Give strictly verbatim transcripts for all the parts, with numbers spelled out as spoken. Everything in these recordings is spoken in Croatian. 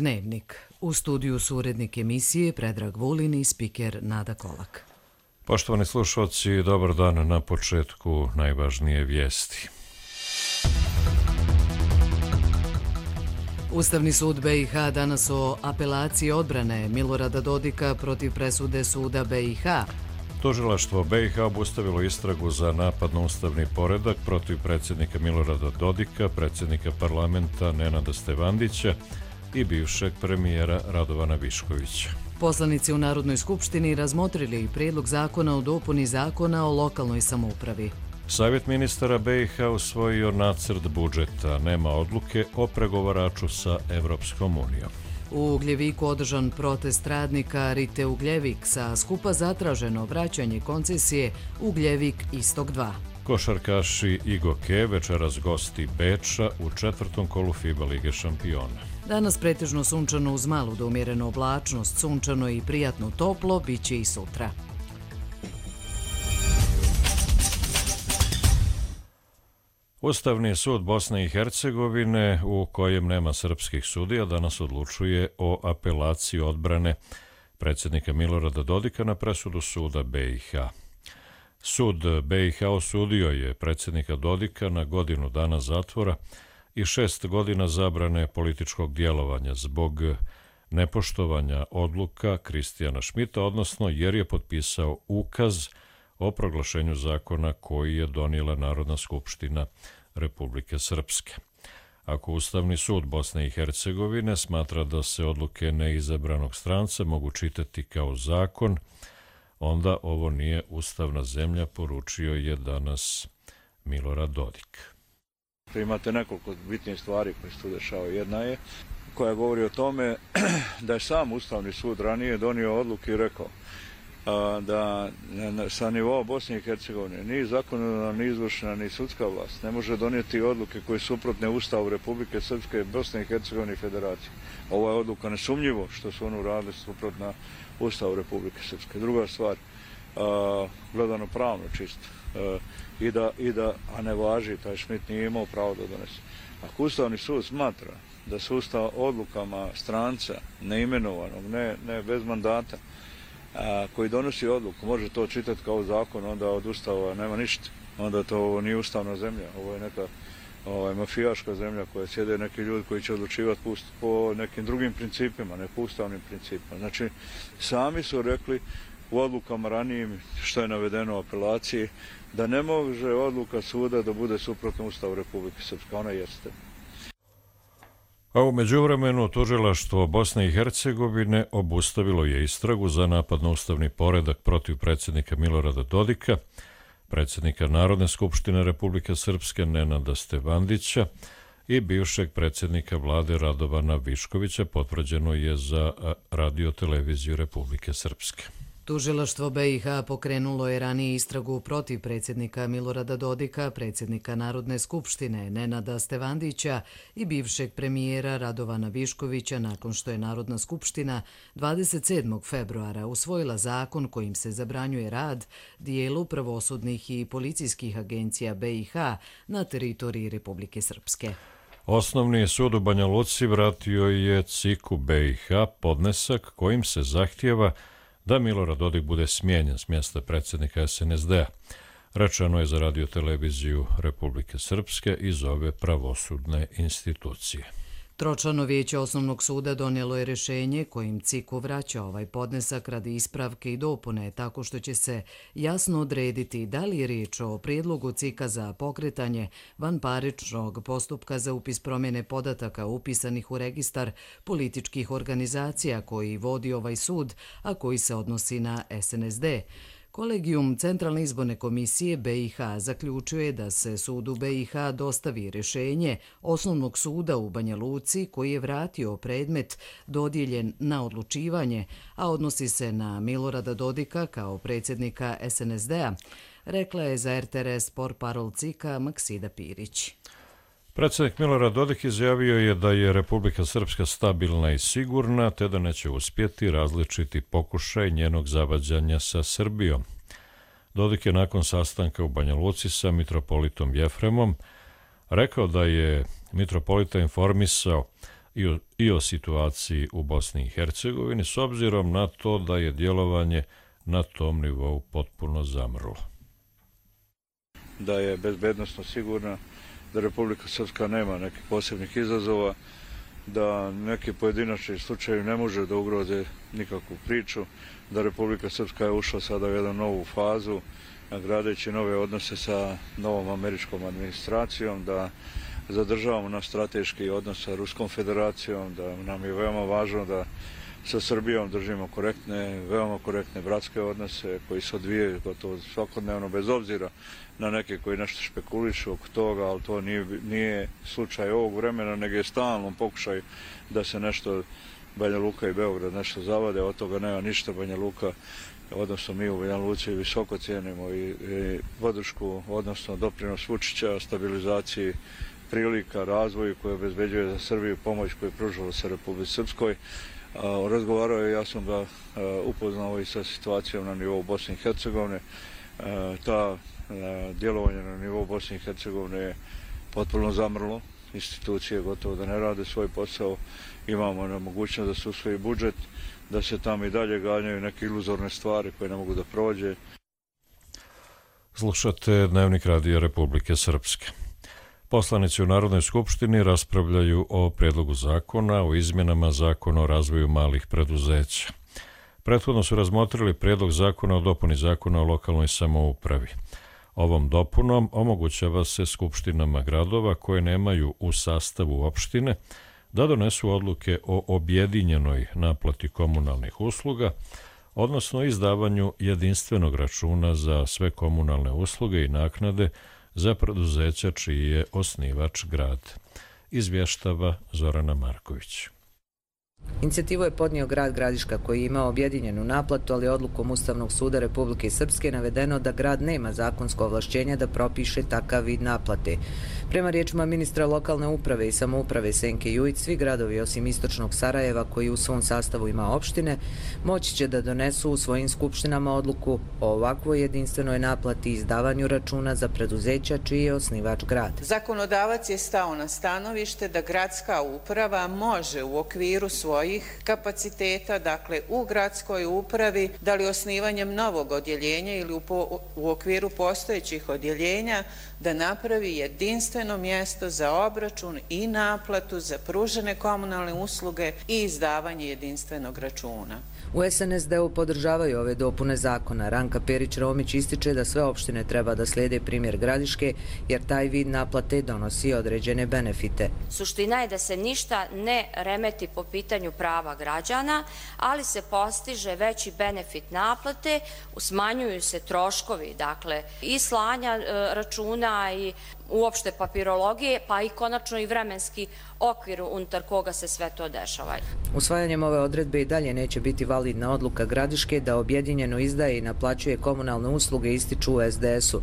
Dnevnik. U studiju su urednik emisije Predrag Vulin i spiker Nada Kolak. Poštovani slušalci, dobar dan. Na početku najvažnije vijesti. Ustavni sud B i H danas o apelaciji odbrane Milorada Dodika protiv presude suda B i H. Tužilaštvo B i H obustavilo istragu za napad na ustavni poredak protiv predsjednika Milorada Dodika, predsjednika parlamenta Nenada Stevandića i bivšeg premijera Radovana Viškovića. Poslanici u Narodnoj skupštini razmotrili prijedlog zakona o dopuni zakona o lokalnoj samoupravi. Savjet ministara B i H usvojio nacrt budžeta, nema odluke o pregovaraču sa Evropskom unijom. U Ugljeviku održan protest radnika Rite Ugljevik, sa skupa zatraženo vraćanje koncesije Ugljevik Istok dva. Košarkaši Igoke večeras gosti Beča u četvrtom kolu FIBA Lige šampiona. Danas pretežno sunčano uz malu do umjerenu oblačnost, sunčano i prijatno toplo, bit će i sutra. Ustavni sud Bosne i Hercegovine, u kojem nema srpskih sudija, danas odlučuje o apelaciji odbrane predsjednika Milorada Dodika na presudu suda B i H. Sud B i H osudio je predsjednika Dodika na godinu dana zatvora i šest godina zabrane političkog djelovanja zbog nepoštovanja odluka Kristijana Šmita, odnosno jer je potpisao ukaz o proglašenju zakona koji je donijela Narodna skupština Republike Srpske. Ako Ustavni sud Bosne i Hercegovine smatra da se odluke neizabranog stranca mogu čitati kao zakon, onda ovo nije ustavna zemlja, poručio je danas Milorad Dodik. Imate nekoliko bitnih stvari koje se tu dešavaju. Jedna je koja govori o tome da je sam Ustavni sud ranije donio odluku i rekao da sa nivoa Bosne i Hercegovine ni zakonodavna, ni izvršna, ni sudska vlast ne može donijeti odluke koje su suprotne Ustavu Republike Srpske, Bosne i Hercegovine i Federacije. Ova je odluka nesumnjivo što su oni uradili suprotna Ustavu Republike Srpske. Druga stvar, gledano pravno čisto, i da, i da, a ne važi, taj Šmit nije imao pravo da donese. Ako Ustavni sud smatra da su Ustav odlukama stranca, neimenovanog, ne, ne bez mandata, a, koji donosi odluku, može to čitati kao zakon, onda od Ustava nema ništa. Onda to nije ustavna zemlja, ovo je neka ovaj, mafijaška zemlja koja sjede neki ljudi koji će odlučivati po, po nekim drugim principima, ne po ustavnim principima. Znači, sami su rekli u odlukama ranijim, što je navedeno u apelaciji, da ne može odluka suda da bude suprotna Ustavu Republike Srpske. Ona jeste. A u međuvremenu tužilaštvo Bosne i Hercegovine obustavilo je istragu za napad na ustavni poredak protiv predsjednika Milorada Dodika, predsjednika Narodne skupštine Republike Srpske Nenada Stevandića i bivšeg predsjednika vlade Radovana Viškovića, potvrđeno je za Radio-televiziju Republike Srpske. Tužilaštvo B i H pokrenulo je ranije istragu protiv predsjednika Milorada Dodika, predsjednika Narodne skupštine Nenada Stevandića i bivšeg premijera Radovana Viškovića nakon što je Narodna skupština dvadeset sedmog februara usvojila zakon kojim se zabranjuje rad dijelu pravosudnih i policijskih agencija B i H na teritoriji Republike Srpske. Osnovni sud u Banja Luci vratio je C I K-u B i H podnesak kojim se zahtijeva da Milorad Dodik bude smijenjen s mjesta predsjednika S N S D-a. Rečeno je za Radio-televiziju Republike Srpske iz ove pravosudne institucije. Tročlano vijeće Osnovnog suda donijelo je rješenje kojim C I K-u vraća ovaj podnesak radi ispravke i dopune, tako što će se jasno odrediti da li je riječ o prijedlogu C I K-a za pokretanje vanparničnog postupka za upis promjene podataka upisanih u registar političkih organizacija koji vodi ovaj sud, a koji se odnosi na S N S D. Kolegijum Centralne izborne komisije B i H zaključuje da se sudu B i H dostavi rješenje Osnovnog suda u Banja Luci koji je vratio predmet dodijeljen na odlučivanje, a odnosi se na Milorada Dodika kao predsjednika S N S D-a, rekla je za R T R S portparol C I K-a Maksida Pirić. Predsjednik Milorad Dodik izjavio je da je Republika Srpska stabilna i sigurna, te da neće uspjeti različiti pokušaj njenog zavađanja sa Srbijom. Dodik je nakon sastanka u Banja Luci sa mitropolitom Jefremom rekao da je mitropolita informisao i o, i o situaciji u Bosni i Hercegovini, s obzirom na to da je djelovanje na tom nivou potpuno zamrlo. Da je bezbednosno sigurna, da Republika Srpska nema nekih posebnih izazova, da neki pojedinačni slučajevi ne može da ugroze nikakvu priču, da Republika Srpska je ušla sada u jednu novu fazu, gradeći nove odnose sa novom američkom administracijom, da zadržavamo naš strateški odnos sa Ruskom federacijom, da nam je veoma važno da sa Srbijom držimo korektne, veoma korektne bratske odnose koji se odvijaju gotovo svakodnevno, bez obzira na neke koji nešto špekulišu oko toga, ali to nije, nije slučaj ovog vremena, nego je stalno pokušaj da se nešto Banja Luka i Beograd nešto zavade, od toga nema ništa. Banja Luka, odnosno mi u Banja Luci visoko cijenimo i, i podršku, odnosno doprinos Vučića, stabilizaciji prilika, razvoju koji obezbeđuje za Srbiju, pomoć koju je pružila se Republici Srpskoj. Razgovarao je, ja sam ga upoznao i sa situacijom na nivou Bosne i Hercegovine. Ta djelovanje na nivou Bosne i Hercegovine je potpuno zamrlo. Institucije gotovo da ne rade svoj posao. Imamo nemogućnost da se usvoji budžet, da se tamo i dalje ganjaju neke iluzorne stvari koje ne mogu da prođe. Slušate Dnevnik Radija Republike Srpske. Poslanici u Narodnoj skupštini raspravljaju o predlogu zakona o izmjenama Zakona o razvoju malih preduzeća. Prethodno su razmotrili predlog zakona o dopuni Zakona o lokalnoj samoupravi. Ovom dopunom omogućava se skupštinama gradova koje nemaju u sastavu opštine da donesu odluke o objedinjenoj naplati komunalnih usluga, odnosno izdavanju jedinstvenog računa za sve komunalne usluge i naknade za preduzeća čiji je osnivač grad. Izvještava Zorana Marković. Inicijativu je podnio grad Gradiška koji ima objedinjenu naplatu, ali odlukom Ustavnog suda Republike Srpske navedeno da grad nema zakonsko ovlašćenje da propiše takav vid naplate. Prema riječima ministra lokalne uprave i samouprave Senke Jujić, svi gradovi osim istočnog Sarajeva koji u svom sastavu ima opštine, moći će da donesu u svojim skupštinama odluku o ovakvoj jedinstvenoj naplati i izdavanju računa za preduzeća čiji je osnivač grad. Zakonodavac je stao na stanovište da gradska uprava može u okviru svojih kapaciteta, dakle u gradskoj upravi, da li osnivanjem novog odjeljenja ili u, po, u okviru postojećih odjeljenja, da napravi jedinstveno mjesto za obračun i naplatu za pružene komunalne usluge i izdavanje jedinstvenog računa. U S N S D-u podržavaju ove dopune zakona. Ranka Perić-Romić ističe da sve opštine treba da slijede primjer Gradiške, jer taj vid naplate donosi određene benefite. Suština je da se ništa ne remeti po pitanju prava građana, ali se postiže veći benefit naplate, smanjuju se troškovi, dakle, i slanja računa i uopšte papirologije, pa i konačno i vremenski okvir unutar koga se sve to dešava. Usvajanjem ove odredbe i dalje neće biti validna odluka Gradiške da objedinjeno izdaje i naplaćuje komunalne usluge, ističu u S D S-u.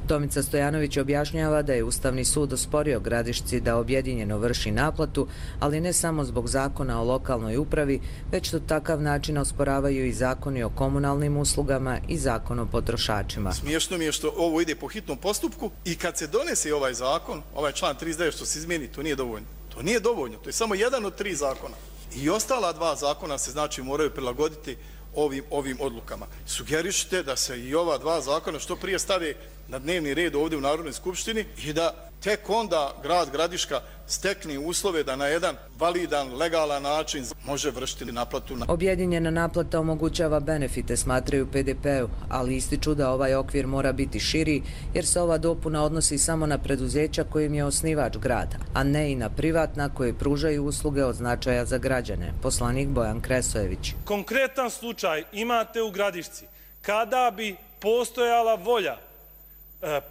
Tomica Stojanović objašnjava da je Ustavni sud osporio Gradišci da objedinjeno vrši naplatu, ali ne samo zbog zakona o lokalnoj upravi, već to takav način osporavaju i zakoni o komunalnim uslugama i zakon o potrošačima. Smiješno mi je što ovo ide po hitnom postupku i kad se donese ovaj zakon, ovaj član trideset devet što se izmijeni, to nije dovoljno. To nije dovoljno, to je samo jedan od tri zakona. I ostala dva zakona se znači moraju prilagoditi ovim, ovim odlukama. Sugerišite da se i ova dva zakona što prije stave na dnevni red ovdje u Narodnoj skupštini i da tek onda grad Gradiška stekne uslove da na jedan validan, legalan način može vršiti naplatu. Objedinjena naplata omogućava benefite, smatraju P D P-u, ali ističu da ovaj okvir mora biti širi, jer se ova dopuna odnosi samo na preduzeća kojim je osnivač grada, a ne i na privatna koje pružaju usluge od značaja za građane. Poslanik Bojan Kresojević. Konkretan slučaj imate u Gradišci kada bi postojala volja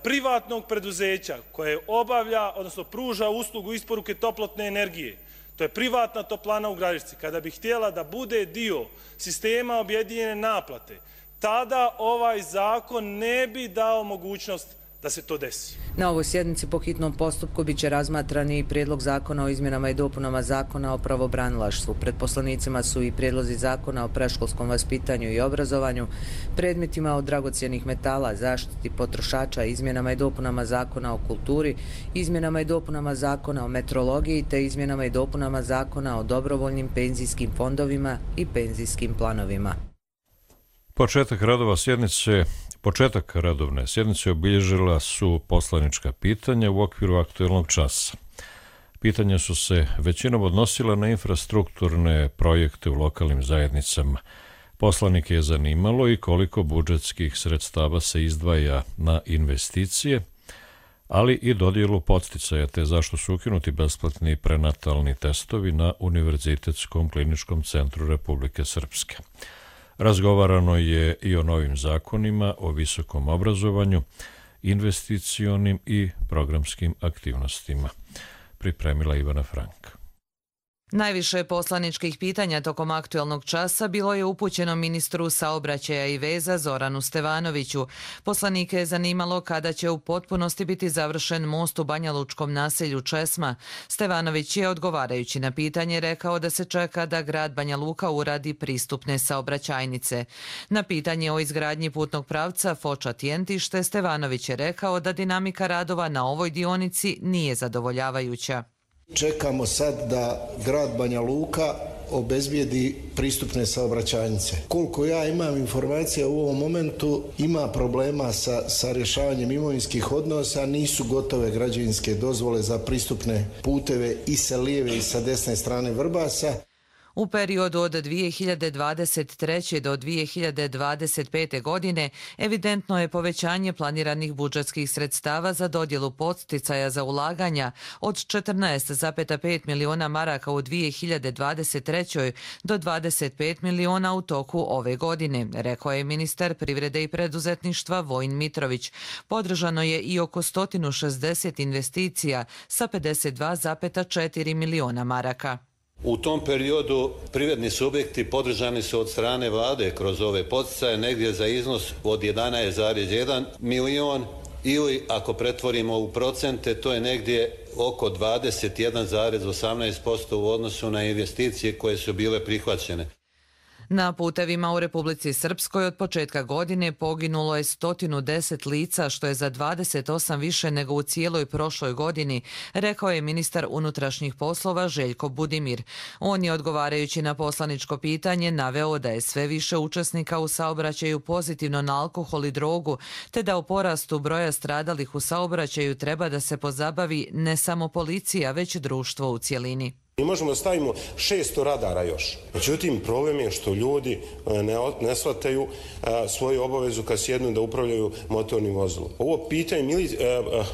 privatnog preduzeća koje obavlja, odnosno pruža uslugu isporuke toplotne energije. To je privatna toplana u Gradišci. Kada bi htjela da bude dio sistema objedinjene naplate, tada ovaj zakon ne bi dao mogućnost da se to desi. Na ovoj sjednici po hitnom postupku bit će razmatrani i prijedlog zakona o izmjenama i dopunama zakona o pravobranilaštvu. Pred poslanicima su i prijedlozi zakona o predškolskom vaspitanju i obrazovanju, predmetima od dragocjenih metala, zaštiti potrošača, izmjenama i dopunama zakona o kulturi, izmjenama i dopunama zakona o metrologiji te izmjenama i dopunama zakona o dobrovoljnim penzijskim fondovima i penzijskim planovima. Početak radova sjednice Početak radovne sjednice obilježila su poslanička pitanja u okviru aktuelnog časa. Pitanja su se većinom odnosila na infrastrukturne projekte u lokalnim zajednicama. Poslanike je zanimalo i koliko budžetskih sredstava se izdvaja na investicije, ali i dodjelu podsticaja, te zašto su ukinuti besplatni prenatalni testovi na Univerzitetskom kliničkom centru Republike Srpske. Razgovarano je i o novim zakonima o visokom obrazovanju, investicionim i programskim aktivnostima. Pripremila Ivana Frank. Najviše poslaničkih pitanja tokom aktuelnog časa bilo je upućeno ministru saobraćaja i veza Zoranu Stevanoviću. Poslanike je zanimalo kada će u potpunosti biti završen most u banjalučkom naselju Česma. Stevanović je odgovarajući na pitanje rekao da se čeka da grad Banja Luka uradi pristupne saobraćajnice. Na pitanje o izgradnji putnog pravca Foča-Tjentište Stevanović je rekao da dinamika radova na ovoj dionici nije zadovoljavajuća. Čekamo sad da grad Banja Luka obezbijedi pristupne saobraćajnice. Koliko ja imam informacija u ovom momentu, ima problema sa, sa rješavanjem imovinskih odnosa, nisu gotove građevinske dozvole za pristupne puteve i sa lijeve i sa desne strane Vrbasa. U periodu od dvije hiljade dvadeset treće do dvije hiljade dvadeset pete. godine evidentno je povećanje planiranih budžetskih sredstava za dodjelu podsticaja za ulaganja od četrnaest zarez pet miliona maraka u dvije hiljade dvadeset trećoj. do dvadeset pet miliona u toku ove godine, rekao je ministar privrede i preduzetništva Vojin Mitrović. Podržano je i oko sto šezdeset investicija sa pedeset dva zarez četiri miliona maraka. U tom periodu privredni subjekti podržani su od strane vlade kroz ove podsticaje negdje za iznos od jedanaest zarez jedan milion ili ako pretvorimo u procente to je negdje oko dvadeset jedan zarez osamnaest posto u odnosu na investicije koje su bile prihvaćene. Na putevima u Republici Srpskoj od početka godine poginulo je sto deset lica, što je za dvadeset osam više nego u cijeloj prošloj godini, rekao je ministar unutrašnjih poslova Željko Budimir. On je odgovarajući na poslaničko pitanje naveo da je sve više učesnika u saobraćaju pozitivno na alkohol i drogu, te da o porastu broja stradalih u saobraćaju treba da se pozabavi ne samo policija, već društvo u cjelini. Mi možemo da stavimo šesto radara još. Međutim, problem je što ljudi ne, ne shvataju a, svoju obavezu kad sjednu da upravljaju motornim vozilom. Ovo pitanje, mili, a, a,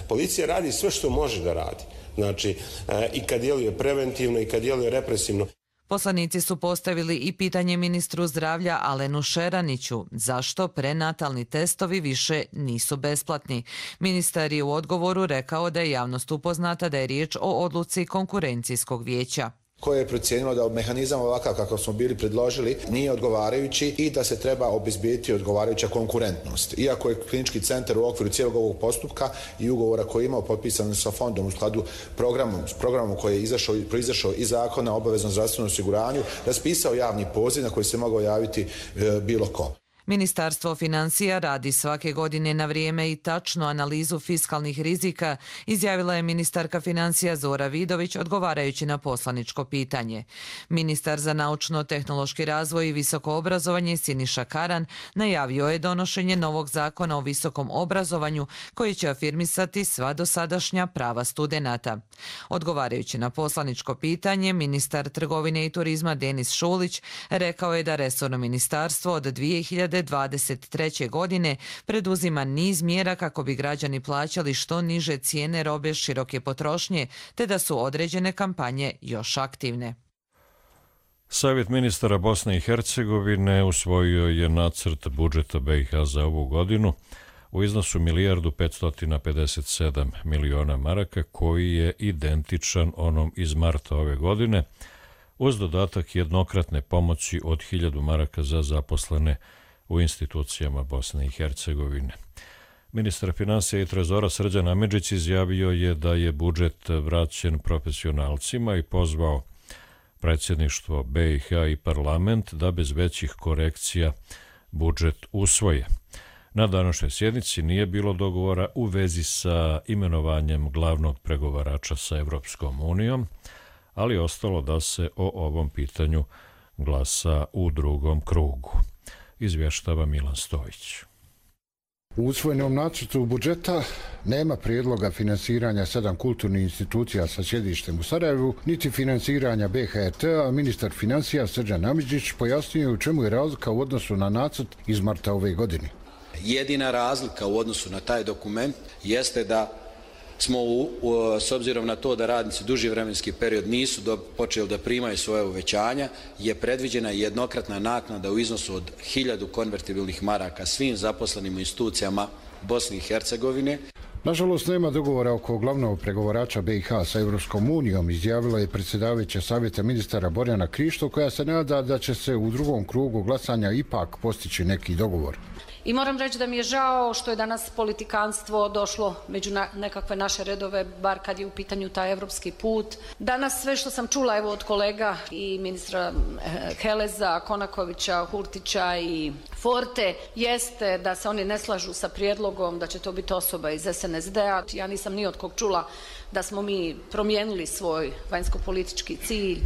policija radi sve što može da radi. Znači, a, i kad djeluje preventivno i kad djeluje represivno. Poslanici su postavili i pitanje ministru zdravlja Alenu Šeraniću zašto prenatalni testovi više nisu besplatni. Ministar je u odgovoru rekao da je javnost upoznata da je riječ o odluci konkurencijskog vijeća, koje je procijenilo da mehanizam ovakav kako smo bili predložili nije odgovarajući i da se treba obezbijeti odgovarajuća konkurentnost. Iako je klinički centar u okviru cijelog ovog postupka i ugovora koji je imao potpisan sa fondom u skladu programom, s programom koji je izašao, proizašao iz zakona o obaveznom zdravstvenom osiguranju, raspisao javni poziv na koji se mogao javiti e, bilo ko. Ministarstvo financija radi svake godine na vrijeme i tačnu analizu fiskalnih rizika, izjavila je ministarka financija Zora Vidović odgovarajući na poslaničko pitanje. Ministar za naučno-tehnološki razvoj i visoko obrazovanje Siniša Karan najavio je donošenje novog zakona o visokom obrazovanju koji će afirmisati sva dosadašnja prava studenata. Odgovarajući na poslaničko pitanje, ministar trgovine i turizma Denis Šulić rekao je da resorno ministarstvo od dvije hiljade dvadeset treće. godine preduzima niz mjera kako bi građani plaćali što niže cijene robe široke potrošnje, te da su određene kampanje još aktivne. Savjet ministara Bosne i Hercegovine usvojio je nacrt budžeta B i H za ovu godinu u iznosu milijardu petsto pedeset sedam miliona maraka, koji je identičan onom iz marta ove godine, uz dodatak jednokratne pomoći od hiljadu maraka za zaposlene u institucijama Bosne i Hercegovine. Ministar financija i trezora Srđan Amidžić izjavio je da je budžet vraćen profesionalcima i pozvao predsjedništvo B i H i parlament da bez većih korekcija budžet usvoje. Na današnjoj sjednici nije bilo dogovora u vezi sa imenovanjem glavnog pregovarača sa Evropskom unijom, ali ostalo da se o ovom pitanju glasa u drugom krugu. Izvještava Milan Stojić. U usvojenom nacrtu budžeta nema prijedloga finansiranja sedam kulturnih institucija sa sjedištem u Sarajevu, niti finansiranja B H R T-a, a ministar financija Srđan Amidžić pojasnio u čemu je razlika u odnosu na nacrt iz marta ove godine. Jedina razlika u odnosu na taj dokument jeste da smo, u, u, s obzirom na to da radnici duži vremenski period nisu do, počeli da primaju svoje uvećanja, je predviđena jednokratna naknada u iznosu od hiljadu konvertibilnih maraka svim zaposlenim u institucijama Bosne i Hercegovine. Nažalost, nema dogovora oko glavnog pregovarača B i H sa Evropskom unijom, izjavila je predsjedavajuća savjeta ministara Borjana Krišto, koja se nada da će se u drugom krugu glasanja ipak postići neki dogovor. I moram reći da mi je žao što je danas politikanstvo došlo među na, nekakve naše redove, bar kad je u pitanju taj evropski put. Danas sve što sam čula evo od kolega i ministra Heleza, Konakovića, Hurtića i Forte, jeste da se oni ne slažu sa prijedlogom da će to biti osoba iz S N S D-a. Ja nisam ni od kog čula da smo mi promijenili svoj vanjsko-politički cilj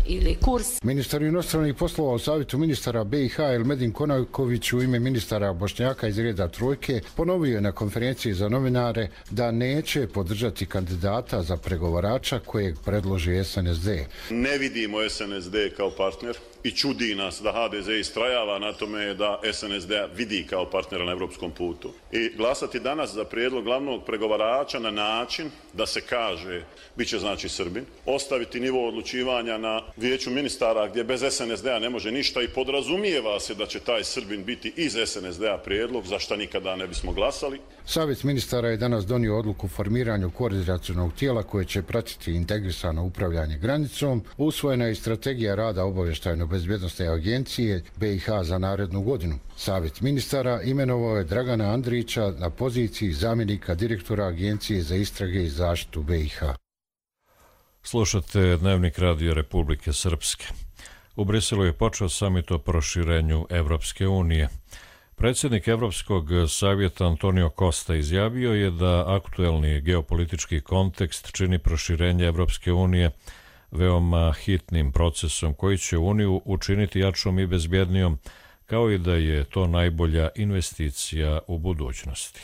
ili kurs. Ministar inostranih poslova u savjetu ministara B i H Elmedin Konaković u ime ministara Bošnjaka iz reda Trojke ponovio je na konferenciji za novinare da neće podržati kandidata za pregovarača kojeg predloži S N S D. Ne vidimo S N S D kao partner i čudi nas da H D Z istrajava na tome da S N S D vidi kao partnera na evropskom putu. I glasati danas za prijedlog glavnog pregovarača na način da se kaže, bit će znači Srbin, ostaviti nivo odlučivanja na vijeću ministara gdje bez S N S D-a ne može ništa i podrazumijeva se da će taj Srbin biti iz S N S D-a prijedlog, za šta nikada ne bismo glasali. Savjet ministara je danas donio odluku o formiranju koordinacionog tijela koje će pratiti integrisano upravljanje granicom. Usvojena je i strategija rada obavještajno-bezbjednosne agencije B i H za narednu godinu. Savjet ministara imenovao je Dragana Andrića na poziciji zamjenika direktora Agencije za istrage i zaštitu B i H. Slušate Dnevnik Radio Republike Srpske. U Briselu je počeo samit o proširenju Evropske unije. Predsjednik Evropskog savjeta Antonio Costa izjavio je da aktuelni geopolitički kontekst čini proširenje Evropske unije veoma hitnim procesom koji će Uniju učiniti jačom i bezbjednijom, kao i da je to najbolja investicija u budućnosti.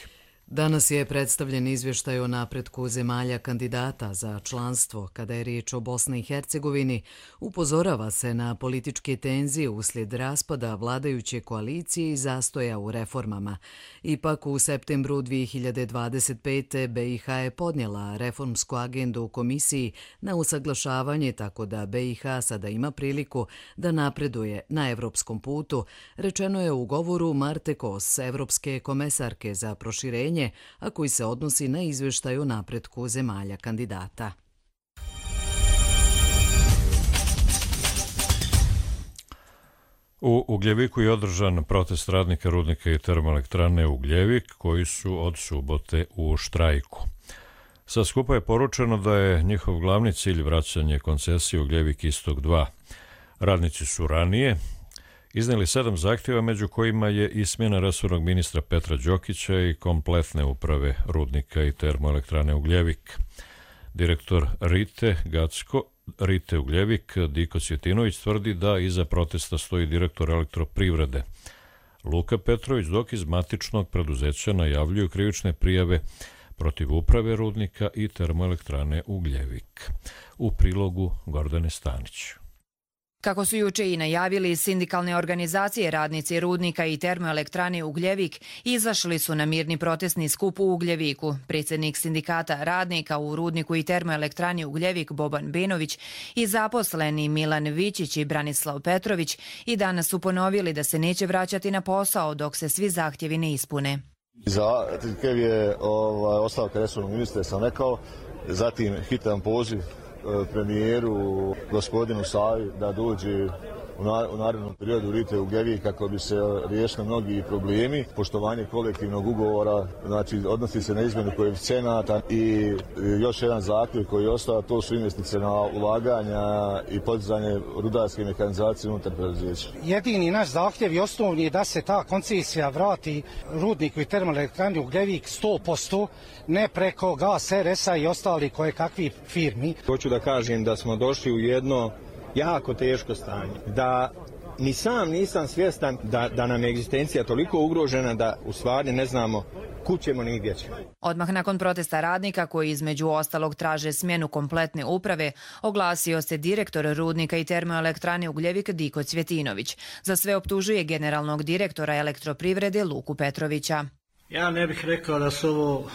Danas je predstavljen izvještaj o napretku zemalja kandidata za članstvo. Kada je riječ o Bosni i Hercegovini, upozorava se na političke tenzije uslijed raspada vladajuće koalicije i zastoja u reformama. Ipak u septembru dvije hiljade dvadeset pete. B i H je podnijela reformsku agendu u komisiji na usaglašavanje, tako da B i H sada ima priliku da napreduje na evropskom putu, rečeno je u govoru Marte Kos, evropske komesarke za proširenje, a koji se odnosi na izvještaj o napretku zemalja kandidata. U Ugljeviku je održan protest radnika rudnika i termoelektrane Ugljevik, koji su od subote u štrajku. Sa skupa je poručeno da je njihov glavni cilj vraćanje koncesije Ugljevik Istok dva. Radnici su ranije iznijeli sedam zahtjeva, među kojima je i smjena resornog ministra Petra Đokića i kompletne uprave rudnika i termoelektrane Ugljevik. Direktor Rite Gacko, Rite Ugljevik, Diko Cvjetinović, tvrdi da iza protesta stoji direktor elektroprivrede Luka Petrović, dok iz matičnog preduzeća najavljuju krivične prijave protiv uprave rudnika i termoelektrane Ugljevik. U prilogu Gordane Stanić. Kako su juče i najavili, sindikalne organizacije radnici rudnika i termoelektrane Ugljevik izašli su na mirni protestni skup u Ugljeviku. Predsjednik sindikata radnika u rudniku i termoelektrani Ugljevik Boban Benović i zaposleni Milan Vičić i Branislav Petrović i danas su ponovili da se neće vraćati na posao dok se svi zahtjevi ne ispune. Zahtjev je ovaj, ostavka resornog ministra, sam rekao, zatim hitan poziv premijeru gospodinu Savi da dođe u narednom periodu Rite Ugljevik kako bi se riješili mnogi problemi. Poštovanje kolektivnog ugovora, znači odnosi se na izmjenu koeficijenata i još jedan zahtjev koji je ostao, to su investicije na ulaganja i podizanje rudarske mehanizacije unutar preduzeća. Jedini naš zahtjev i osnovni je da se ta koncesija vrati rudniku i termoelektrani Ugljevik sto posto, ne preko Gas R S-a i ostali koje kakvi firmi. Hoću da kažem da smo došli u jedno jako teško stanje, da ni sam nisam svjestan da, da nam je egzistencija toliko ugrožena da u stvari ne znamo kud ćemo ni gdje ćemo. Odmah nakon protesta radnika koji između ostalog traže smjenu kompletne uprave, oglasio se direktor rudnika i termoelektrane Ugljevik Diko Cvjetinović. Za sve optužuje generalnog direktora Elektroprivrede Luku Petrovića. Ja ne bih rekao da su ovo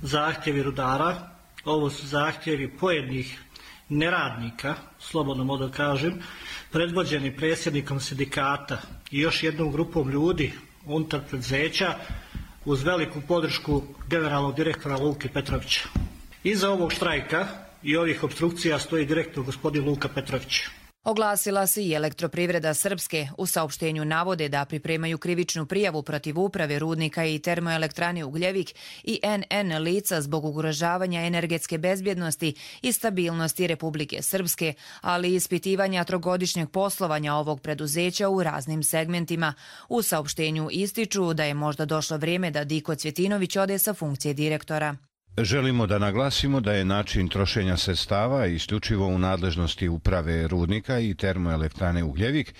zahtjevi rudara, ovo su zahtjevi pojedinih neradnika, slobodno mogu da kažem, predvođeni predsjednikom sindikata i još jednom grupom ljudi unutar preduzeća uz veliku podršku generalnog direktora Luke Petrovića. Iza ovog štrajka i ovih opstrukcija stoji direktor gospodin Luka Petrović. Oglasila se i Elektroprivreda Srpske. U saopštenju navode da pripremaju krivičnu prijavu protiv uprave rudnika i termoelektrane Ugljevik i N N lica zbog ugrožavanja energetske bezbjednosti i stabilnosti Republike Srpske, ali i ispitivanja trogodišnjeg poslovanja ovog preduzeća u raznim segmentima. U saopštenju ističu da je možda došlo vrijeme da Diko Cvjetinović ode sa funkcije direktora. Želimo da naglasimo da je način trošenja sredstava isključivo u nadležnosti uprave rudnika i termoelektrane Ugljevik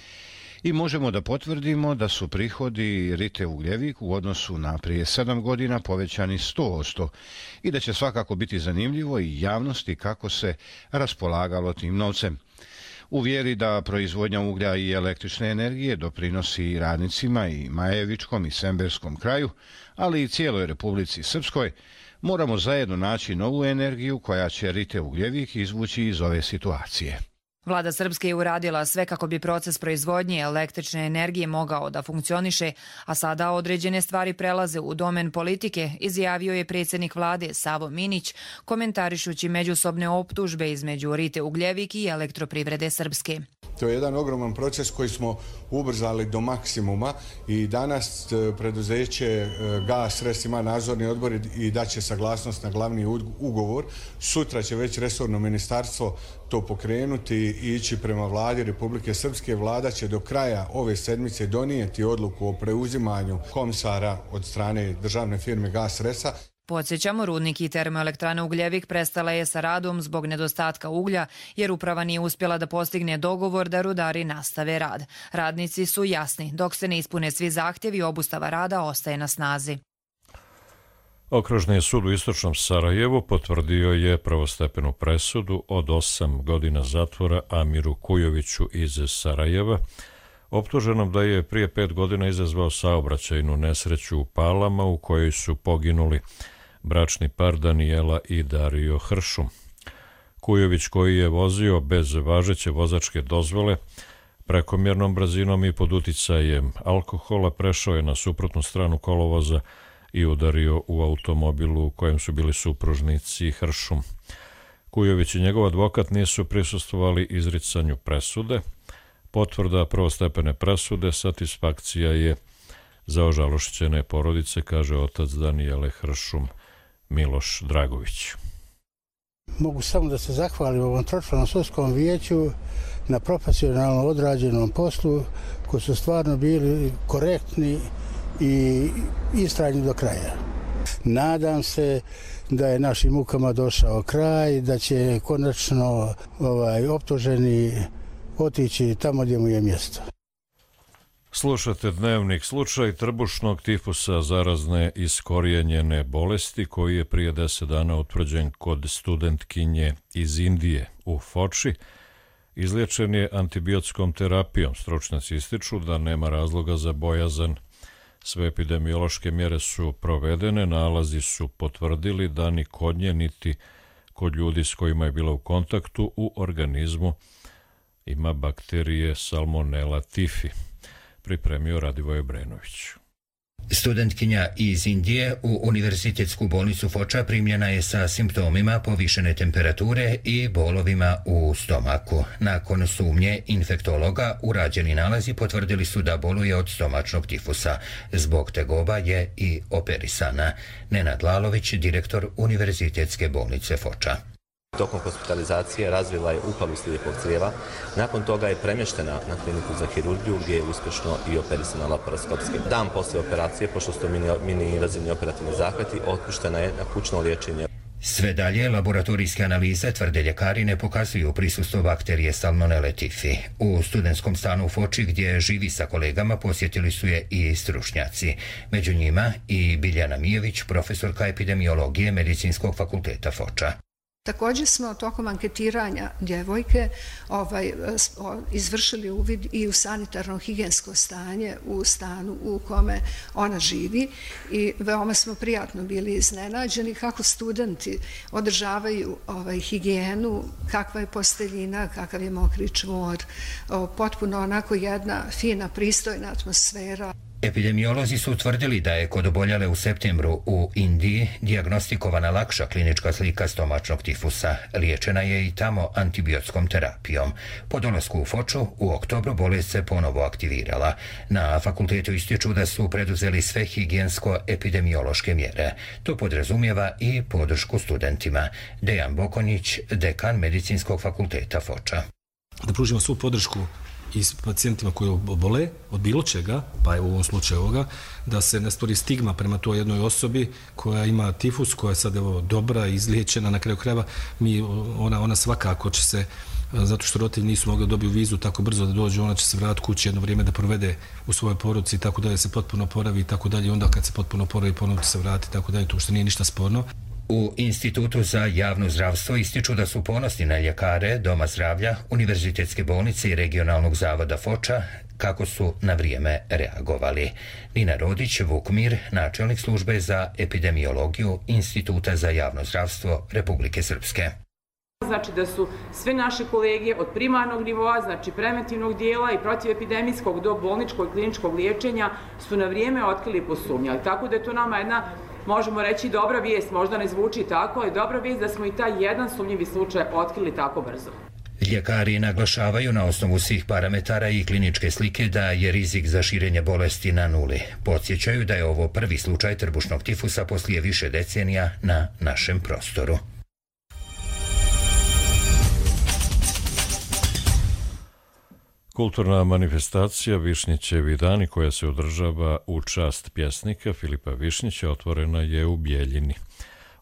i možemo da potvrdimo da su prihodi Rite Ugljevik u odnosu na prije sedam godina povećani sto posto i da će svakako biti zanimljivo i javnosti kako se raspolagalo tim novcem. U vjeri da proizvodnja uglja i električne energije doprinosi radnicima i Majevičkom i Semberskom kraju, ali i cijeloj Republici Srpskoj, moramo zajedno naći novu energiju koja će Rite Ugljevik izvući iz ove situacije. Vlada Srpske je uradila sve kako bi proces proizvodnje električne energije mogao da funkcioniše, a sada određene stvari prelaze u domen politike, izjavio je predsjednik vlade Savo Minić, komentarišući međusobne optužbe između Rite Ugljevik i Elektroprivrede Srpske. To je jedan ogroman proces koji smo ubrzali do maksimuma i danas preduzeće Gas R S ima nadzorni odbor i daće saglasnost na glavni ugovor. Sutra će već resorno ministarstvo to pokrenuti i ići prema vladi Republike Srpske. Vlada će do kraja ove sedmice donijeti odluku o preuzimanju komisara od strane državne firme Gas R S-a. Podsjećamo, rudnik i termoelektrana Ugljevik prestala je sa radom zbog nedostatka uglja, jer uprava nije uspjela da postigne dogovor da rudari nastave rad. Radnici su jasni, dok se ne ispune svi zahtjevi, obustava rada ostaje na snazi. Okružni sud u istočnom Sarajevu potvrdio je prvostepenu presudu od osam godina zatvora Amiru Kujoviću iz Sarajeva, optuženom da je prije pet godina izazvao saobraćajnu nesreću u Palama u kojoj su poginuli bračni par Danijela i Dario Hršum. Kujović, koji je vozio bez važeće vozačke dozvole, prekomjernom brzinom i pod uticajem alkohola, prešao je na suprotnu stranu kolovoza i udario u automobilu u kojem su bili supružnici Hršum. Kujović i njegov advokat nisu prisustvovali izricanju presude. Potvrda prvostepene presude satisfakcija je za ožalošćene porodice, kaže otac Danijele Hršum, Miloš Dragović. Mogu samo da se zahvalim ovom tročlanom sudskom vijeću na profesionalno odrađenom poslu, koji su stvarno bili korektni i istrajni do kraja. Nadam se da je našim mukama došao kraj, da će konačno ovaj, optuženi otići tamo gdje mu je mjesto. Slušate dnevnik. Slučaj trbušnog tifusa, zarazne iskorijenjene bolesti, koji je prije deset dana utvrđen kod studentkinje iz Indije u Foči, izliječen je antibiotskom terapijom. Stručnjaci ističu da nema razloga za bojazan. Sve epidemiološke mjere su provedene, nalazi su potvrdili da ni kod nje niti kod ljudi s kojima je bila u kontaktu u organizmu ima bakterije Salmonella typhi. Pripremio Radivoj Brenović. Studentkinja iz Indije u univerzitetsku bolnicu Foča primljena je sa simptomima povišene temperature i bolovima u stomaku. Nakon sumnje infektologa, urađeni nalazi potvrdili su da boluje od stomačnog tifusa. Zbog tegoba je i operisana. Nenad Lalović, direktor univerzitetske bolnice Foča. Tokom hospitalizacije razvila je upalu slijepog crijeva. Nakon toga je premještena na kliniku za hirurgiju gdje je uspješno i operisana laparoskopski. Dan poslije operacije, pošto su mini, mini invazivni operativni zahvati, otpuštena je na kućno liječenje. Sve dalje laboratorijske analize, tvrde ljekari, ne pokazuju prisustvo bakterije Salmonelle typhi. U studentskom stanu u Foči gdje živi sa kolegama posjetili su je i stručnjaci. Među njima i Biljana Mijević, profesorka epidemiologije Medicinskog fakulteta Foča. Također smo tokom anketiranja djevojke ovaj, izvršili uvid i u sanitarno-higijensko stanje u stanu u kome ona živi i veoma smo prijatno bili iznenađeni kako studenti održavaju ovaj, higijenu, kakva je posteljina, kakav je mokri čvor, potpuno onako jedna fina, pristojna atmosfera. Epidemiolozi su utvrdili da je kod oboljele u septembru u Indiji dijagnostikovana lakša klinička slika stomačnog tifusa. Liječena je i tamo antibiotskom terapijom. Po dolasku u Foču u oktobru bolest se ponovo aktivirala. Na fakultetu ističu da su preduzeli sve higijensko-epidemiološke mjere. To podrazumijeva i podršku studentima. Dejan Bokonjić, dekan Medicinskog fakulteta Foča. Da pružimo svu podršku i s pacijentima koji obole od bilo čega, pa je u ovom slučaju ovoga, da se ne stvori stigma prema toj jednoj osobi koja ima tifus, koja je sad evo dobra, izliječena, na kraju krajeva, mi, ona, ona svakako će se, zato što roditelji nisu mogli dobiti vizu tako brzo da dođu, ona će se vratiti kući jedno vrijeme da provede u svojoj porodici i tako dalje, se potpuno oporavi i tako dalje, onda kad se potpuno oporavi ponovno se vrati i tako dalje, to što nije ništa sporno. U Institutu za javno zdravstvo ističu da su ponosni na ljekare Doma zdravlja, Univerzitetske bolnice i regionalnog zavoda Foča, kako su na vrijeme reagovali. Nina Rodić, Vukmir, načelnik službe za epidemiologiju Instituta za javno zdravstvo Republike Srpske. Znači da su sve naše kolege od primarnog nivoa, znači preventivnog dijela i protivepidemijskog do bolničkog i kliničkog liječenja su na vrijeme otkrili i posumnjali. Tako da je to nama jedna, možemo reći, dobra vijest, možda ne zvuči tako, ali dobra vijest da smo i taj jedan sumnjivi slučaj otkrili tako brzo. Ljekari naglašavaju na osnovu svih parametara i kliničke slike da je rizik za širenje bolesti na nuli. Podsjećaju da je ovo prvi slučaj trbušnog tifusa poslije više decenija na našem prostoru. Kulturna manifestacija Višnjićevi dani koja se održava u čast pjesnika Filipa Višnjića otvorena je u Bijeljini.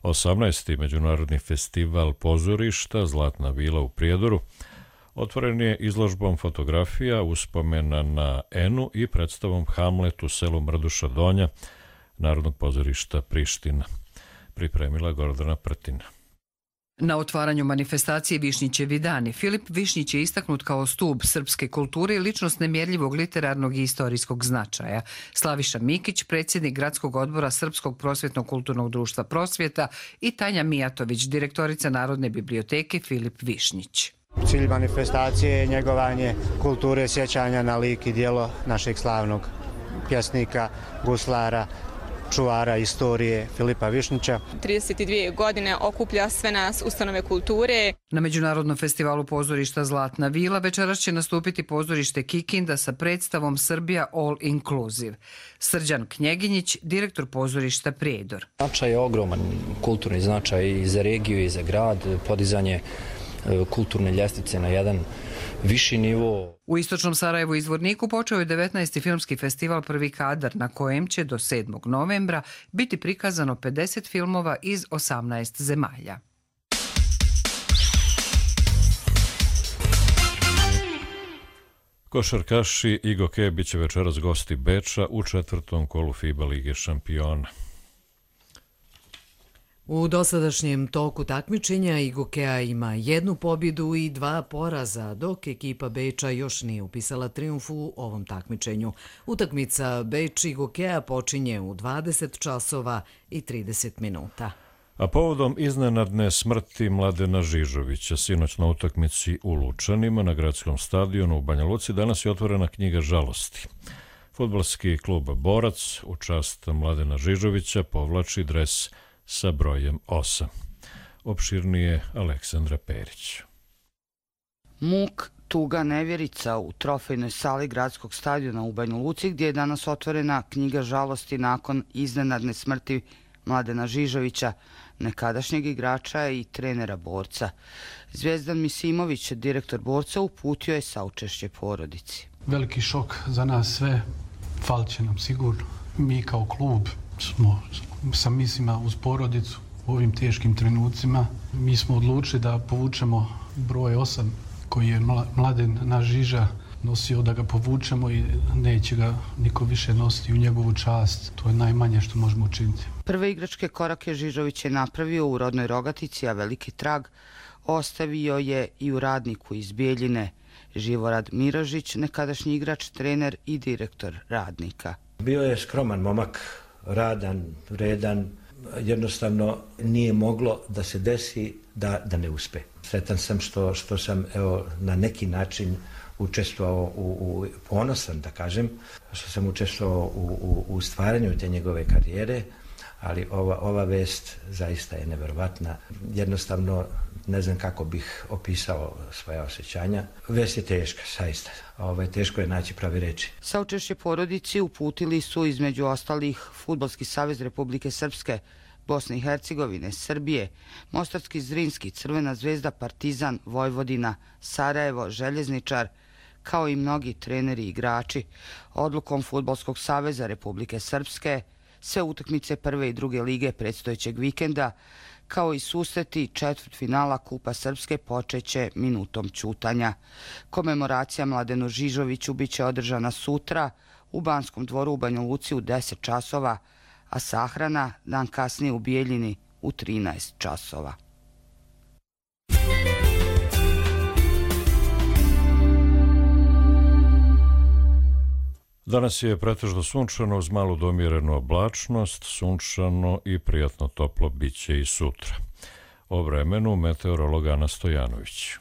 osamnaesti. Međunarodni festival pozorišta Zlatna vila u Prijedoru otvoren je izložbom fotografija uspomena na Enu i predstavom Hamlet u selu Mrduša Donja Narodnog pozorišta Priština. Pripremila Gordana Prtina. Na otvaranju manifestacije Višnjićevi dani Filip Višnjić je istaknut kao stub srpske kulture i ličnost nemjerljivog literarnog i istorijskog značaja. Slaviša Mikić, predsjednik Gradskog odbora Srpskog prosvjetno-kulturnog društva Prosvjeta i Tanja Mijatović, direktorica Narodne biblioteke Filip Višnjić. Cilj manifestacije je njegovanje kulture sjećanja na lik i djelo našeg slavnog pjesnika, guslara, čuvara istorije Filipa Višnjića. trideset dvije godine okuplja sve nas ustanove kulture. Na Međunarodnom festivalu pozorišta Zlatna vila večeras će nastupiti pozorište Kikinda sa predstavom Srbija All Inclusive. Srđan Knjeginjić, direktor pozorišta Prijedor. Značaj je ogroman, kulturni značaj i za regiju i za grad, podizanje kulturne ljestvice na jedan viši nivo. U istočnom Sarajevu i Zvorniku počeo je devetnaesti filmski festival Prvi kadar na kojem će do sedmog novembra biti prikazano pedeset filmova iz osamnaest zemalja. Košarkaši Igo Ke biće večeras gosti Beča u četvrtom kolu FIBA Lige šampiona. U dosadašnjem toku takmičenja Igokea ima jednu pobjedu i dva poraza, dok ekipa Beča još nije upisala trijumf u ovom takmičenju. Utakmica Beč-Igokea počinje u dvadeset časova i trideset minuta. A povodom iznenadne smrti Mladena Žižovića, sinoć na utakmici u Lučanima na gradskom stadionu u Banja Luci, danas je otvorena knjiga žalosti. Fudbalski klub Borac u čast Mladena Žižovića povlači dres sa brojem osam. Opširnije Aleksandra Perić. Muk, tuga, nevjerica u trofejnoj sali gradskog stadiona u Banja Luci, gdje je danas otvorena knjiga žalosti nakon iznenadne smrti Mladena Žižovića, nekadašnjeg igrača i trenera Borca. Zvijezdan Misimović, direktor Borca, uputio je saučešće porodici. Veliki šok za nas sve, falit će nam sigurno. Mi kao klub smo sa mislima uz porodicu u ovim teškim trenucima. Mi smo odlučili da povučemo broj osam koji je Mladen naš Žiža nosio, da ga povučemo i neće ga niko više nositi u njegovu čast. To je najmanje što možemo učiniti. Prve igračke korake Žižović je napravio u rodnoj Rogatici, a veliki trag ostavio je i u Radniku iz Bijeljine. Živorad Mirožić, nekadašnji igrač, trener i direktor Radnika. Bio je skroman momak, radan, vredan, jednostavno nije moglo da se desi da, da ne uspe. Sretan sam što, što sam evo, na neki način učestvovao u, u ponosan, da kažem, što sam učestvovao u, u, u stvaranju te njegove karijere, ali ova, ova vest zaista je neverovatna. Jednostavno ne znam kako bih opisao svoja osjećanja. Vest je teška, zaista. Ovaj, teško je naći pravi reči. Saučešće porodici uputili su između ostalih Fudbalski savez Republike Srpske, Bosne i Hercegovine, Srbije, Mostarski Zrinski, Crvena zvezda, Partizan, Vojvodina, Sarajevo, Željezničar, kao i mnogi treneri i igrači. Odlukom Fudbalskog saveza Republike Srpske sve utakmice prve i druge lige predstojećeg vikenda, kao i susreti četvrtfinala Kupa Srpske, počeće minutom ćutanja. Komemoracija Mladenu Žižoviću biće održana sutra u Banskom dvoru u Banja Luci u deset časova, a sahrana dan kasnije u Bijeljini u trinaest časova. Danas je pretežno sunčano uz malu domjerenu oblačnost, sunčano i prijatno toplo biće i sutra. O vremenu meteorolog Ana Stojanović.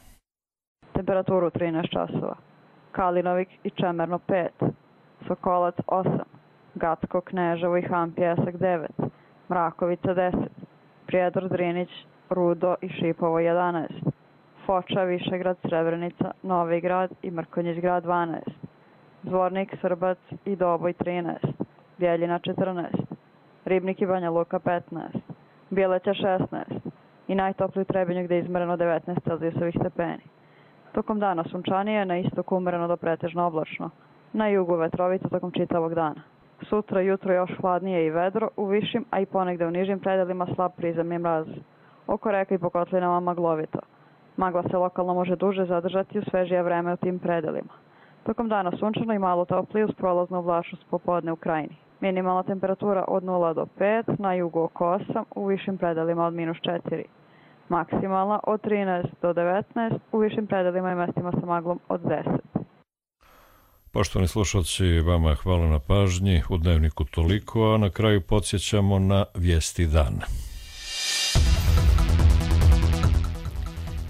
Temperaturu trinaest časova. Kalinovik i Čemerno pet, Sokolac osam, Gacko, Kneževo i Han Pjesak devet, Mrakovica deset, Prijedor, Drinić, Rudo i Šipovo jedanaest, Foča, Višegrad, Srebrenica, Novi Grad i Mrkonjić Grad dvanaest, Zvornik, Srbac i Doboj trinaest, Bjeljina četrnaest, Ribnik i Banja Luka petnaest, Bjeleća šesnaest i najtopliji Trebinju gdje je izmereno devetnaest celzijusovih stepeni. Tokom dana sunčanije, na istoku umereno do pretežno oblačno, na jugu vetrovica tokom čitavog dana. Sutra jutro još hladnije i vedro, u višim, a i ponegde u nižim predelima slab prizemni mraz. Oko reka i po kotlinama maglovito. Magla se lokalno može duže zadržati u svežije vreme u tim predelima. Tokom dana sunčano i malo toplije uz prolaznu oblačnost popodne u krajini. Minimalna temperatura od nula do pet, na jugu oko osam, u višim predelima od minus četiri. Maksimalna od trinaest do devetnaest, u višim predelima i mestima sa maglom od deset. Poštovani slušalci, vama hvala na pažnji, u Dnevniku toliko, a na kraju podsjećamo na vijesti dana.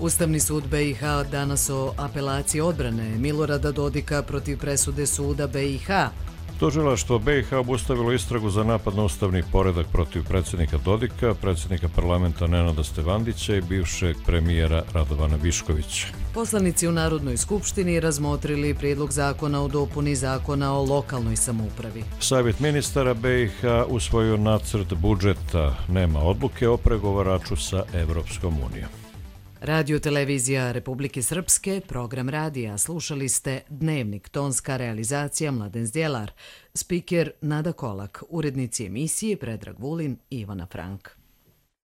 Ustavni sud B i H danas o apelaciji odbrane Milorada Dodika protiv presude suda B i H. Tužilaštvo B i H obustavilo istragu za napad na ustavni poredak protiv predsjednika Dodika, predsjednika parlamenta Nenada Stevandića i bivšeg premijera Radovana Viškovića. Poslanici u Narodnoj skupštini razmotrili prijedlog zakona o dopuni zakona o lokalnoj samoupravi. Savjet ministara B i H usvojio nacrt budžeta, nema odluke o pregovaraču sa Evropskom unijom. Radio televizija Republike Srpske, program radija, slušali ste Dnevnik, tonska realizacija Mladen Zdjelar, spiker Nada Kolak, urednici emisije Predrag Vulin i Ivana Frank.